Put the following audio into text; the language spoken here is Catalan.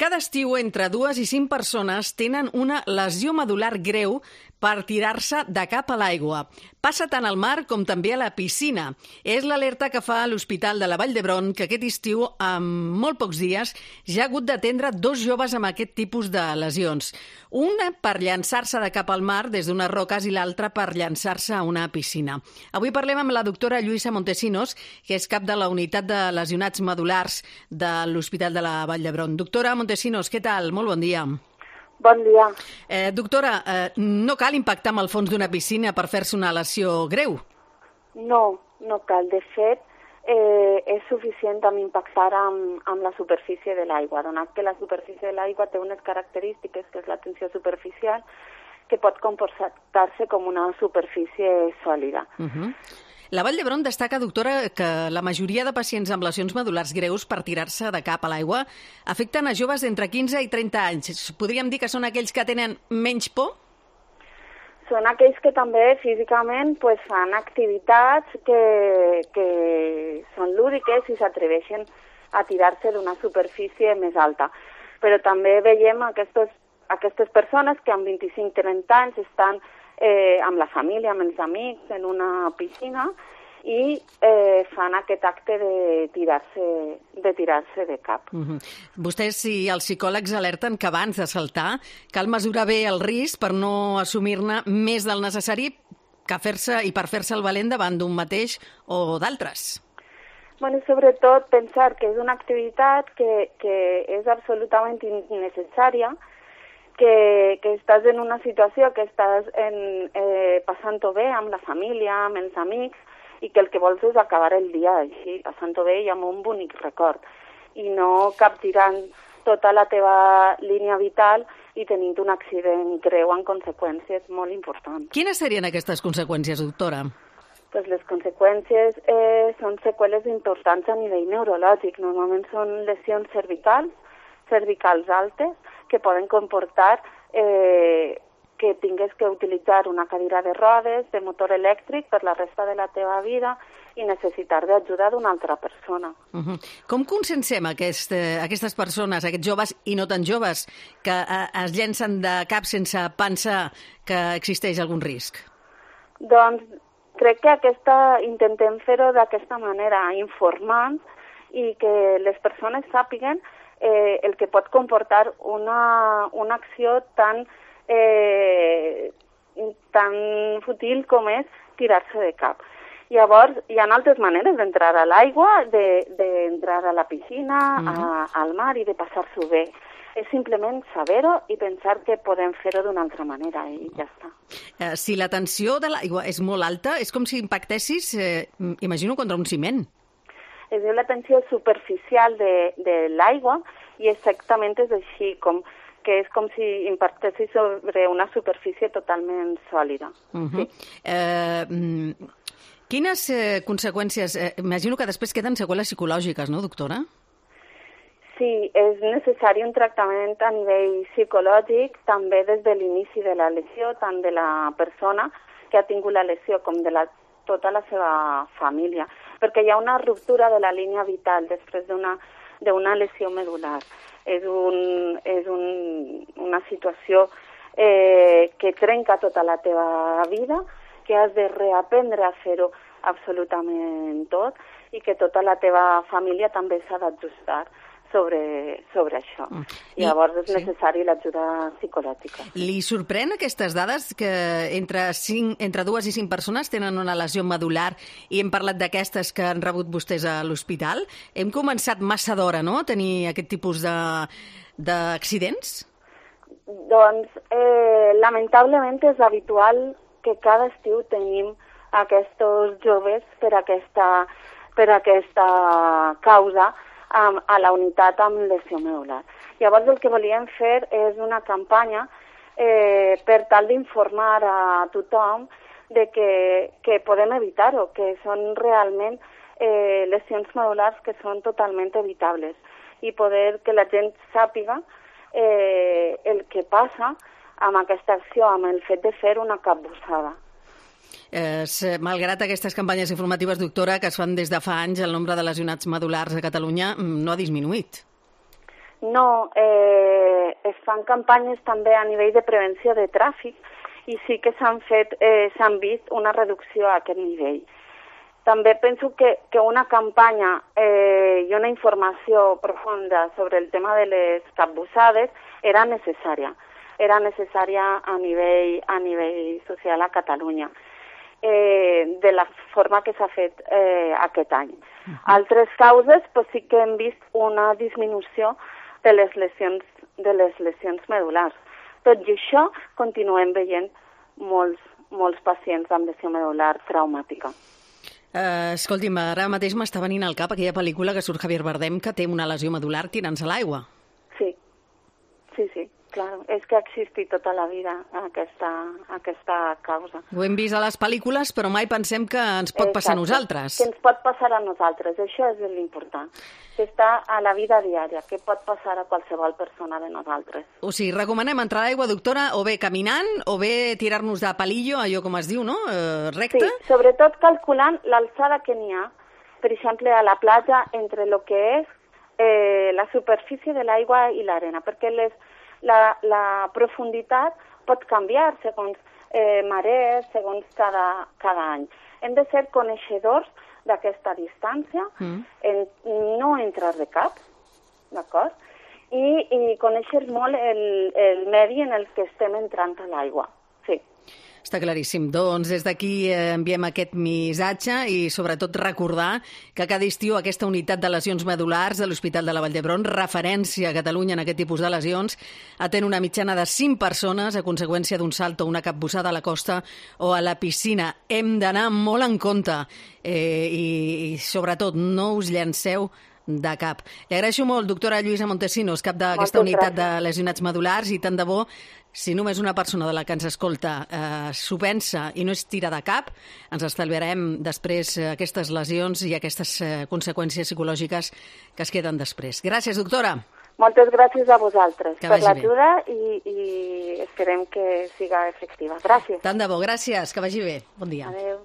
Cada estiu, entre 2 i 5 persones tenen una lesió medular greu per tirar-se de cap a l'aigua. Passa tant al mar com també a la piscina. És l'alerta que fa l'Hospital de la Vall d'Hebron, que aquest estiu, en molt pocs dies, ja ha hagut d'atendre 2 joves amb aquest tipus de lesions. Una per llançar-se de cap al mar des d'unes roques i l'altra per llançar-se a una piscina. Avui parlem amb la doctora Lluïsa Montesinos, que és cap de la unitat de lesionats medulars de l'Hospital de la Vall d'Hebron. Doctora Montesinos, què tal? Molt bon dia. Bon dia. Doctora, no cal impactar amb el fons d'una piscina per fer-se una lesió greu? No, no cal. De fet, és suficient amb impactar amb la superfície de l'aigua, donat que la superfície de l'aigua té unes característiques, que és la tensió superficial, que pot comportar-se com una superfície sòlida. La Vall d'Hebron destaca, doctora, que la majoria de pacients amb lesions medulars greus per tirar-se de cap a l'aigua afecten a joves d'entre 15 i 30 anys. Podríem dir que són aquells que tenen menys por? Són aquells que també físicament fan activitats que són lúdiques i s'atreveixen a tirar-se d'una superfície més alta. Però també veiem aquestes persones que amb 25-30 anys estan amb la família, amb els amics, en una piscina i fan aquest acte de tirar-se de cap. Vostès i els psicòlegs alerten que abans de saltar cal mesurar bé el risc per no assumir-ne més del necessari per fer-se el valent davant d'un mateix o d'altres. Sobretot pensar que és una activitat que és absolutament innecessària, que estàs en una situació que estàs passant-ho bé amb la família, amb els amics, i que el que vols és acabar el dia així, passant-ho bé i amb un bonic record, i no capgirant tota la teva línia vital i tenint un accident greu amb conseqüències molt importants. Quines serien aquestes conseqüències, doctora? Les conseqüències són seqüeles importants a nivell neurològic. Normalment són lesions cervicals altes, que poden comportar que tingues que utilitzar una cadira de rodes, de motor elèctric per la resta de la teva vida i necessitar d'ajuda d'una altra persona. Com conscienciem aquestes persones, aquests joves i no tan joves, que es llencen de cap sense pensar que existeix algun risc? Doncs crec que intentem fer-ho d'aquesta manera, informant i que les persones sàpiguen el que pot comportar una acció tan fútil com és tirar-se de cap. Llavors, hi ha altres maneres d'entrar a l'aigua, d'entrar a la piscina, al mar i de passar-s'ho bé. És simplement saber-ho i pensar que podem fer-ho d'una altra manera i ja està. Si la tensió de l'aigua és molt alta, és com si impactessis, imagino, contra un ciment. Es diu la tensió superficial de l'aigua i exactament és així, que és com si impactessis sobre una superfície totalment sòlida. Sí. Quines conseqüències? Imagino que després queden seqüeles psicològiques, no, doctora? Sí, és necessari un tractament a nivell psicològic, també des de l'inici de la lesió, tant de la persona que ha tingut la lesió com de tota la seva família, perquè hi ha una ruptura de la línia vital després d'una lesió medular. És una situació que trenca tota la teva vida, que has de reaprendre a fer-ho absolutament tot i que tota la teva família també s'ha d'ajustar sobre això. Llavors és necessari l'ajuda psicològica. Li sorprèn aquestes dades que entre 2 i 5 persones tenen una lesió medular i hem parlat d'aquestes que han rebut vostès a l'hospital? Hem començat massa d'hora, no?, a tenir aquest tipus d'accidents? Doncs, lamentablement és habitual que cada estiu tenim aquests joves per aquesta causa a la unitat amb lesió medular. Llavors el que volíem fer és una campanya per tal d'informar a tothom de que podem evitar-ho, que són realment lesions medulars que són totalment evitables i poder que la gent sàpiga el que passa amb aquesta acció, amb el fet de fer una capbussada. Malgrat aquestes campanyes informatives, doctora, que es fan des de fa anys, el nombre de lesionats medulars a Catalunya no ha disminuït. No, es fan campanyes també a nivell de prevenció de tràfic i sí que s'han vist una reducció a aquest nivell. També penso que una campanya i una informació profunda sobre el tema de les capbussades era necessària. Era necessària a nivell social a Catalunya, de la forma que s'ha fet aquest any. Altres causes sí que hem vist una disminució de les lesions medul·lars. Tot i això, continuem veient molts pacients amb lesió medul·lar traumàtica. Escolti'm, ara mateix m'està venint al cap aquella pel·lícula que surt Javier Bardem que té una lesió medul·lar tirant-se a l'aigua. Sí, clar. És que ha existit tota la vida aquesta causa. Ho hem vist a les pel·lícules, però mai pensem que ens pot passar a nosaltres. Que ens pot passar a nosaltres, això és l'important. Que està a la vida diària, que pot passar a qualsevol persona de nosaltres. O sigui, recomanem entrar a l'aigua, doctora, o bé caminant, o bé tirar-nos de palillo, allò com es diu, no? Recte? Sí, sobretot calculant l'alçada que n'hi ha, per exemple, a la platja, entre el que és la superfície de l'aigua i l'arena, perquè la profunditat pot canviar segons marees, segons cada any. Hem de ser coneixedors d'aquesta distància, no entrar de cap, d'acord? I conèixer molt el medi en el que estem entrant a l'aigua. Sí. Està claríssim. Doncs des d'aquí enviem aquest missatge i sobretot recordar que cada estiu aquesta unitat de lesions medul·lars de l'Hospital de la Vall d'Hebron, referència a Catalunya en aquest tipus de lesions, atén una mitjana de 5 persones a conseqüència d'un salt o una capbussada a la costa o a la piscina. Hem d'anar molt en compte i sobretot no us llanceu de cap. Li agraeixo molt, doctora Lluïsa Montesinos, cap d'aquesta unitat de lesionats medul·lars, i tant de bo, si només una persona de la que ens escolta s'ho pensa i no es tira de cap, ens estalviarem després aquestes lesions i aquestes conseqüències psicològiques que es queden després. Gràcies, doctora. Moltes gràcies a vosaltres per l'ajuda i esperem que siga efectiva. Gràcies. Tant de bo, gràcies, que vagi bé. Bon dia. Adéu.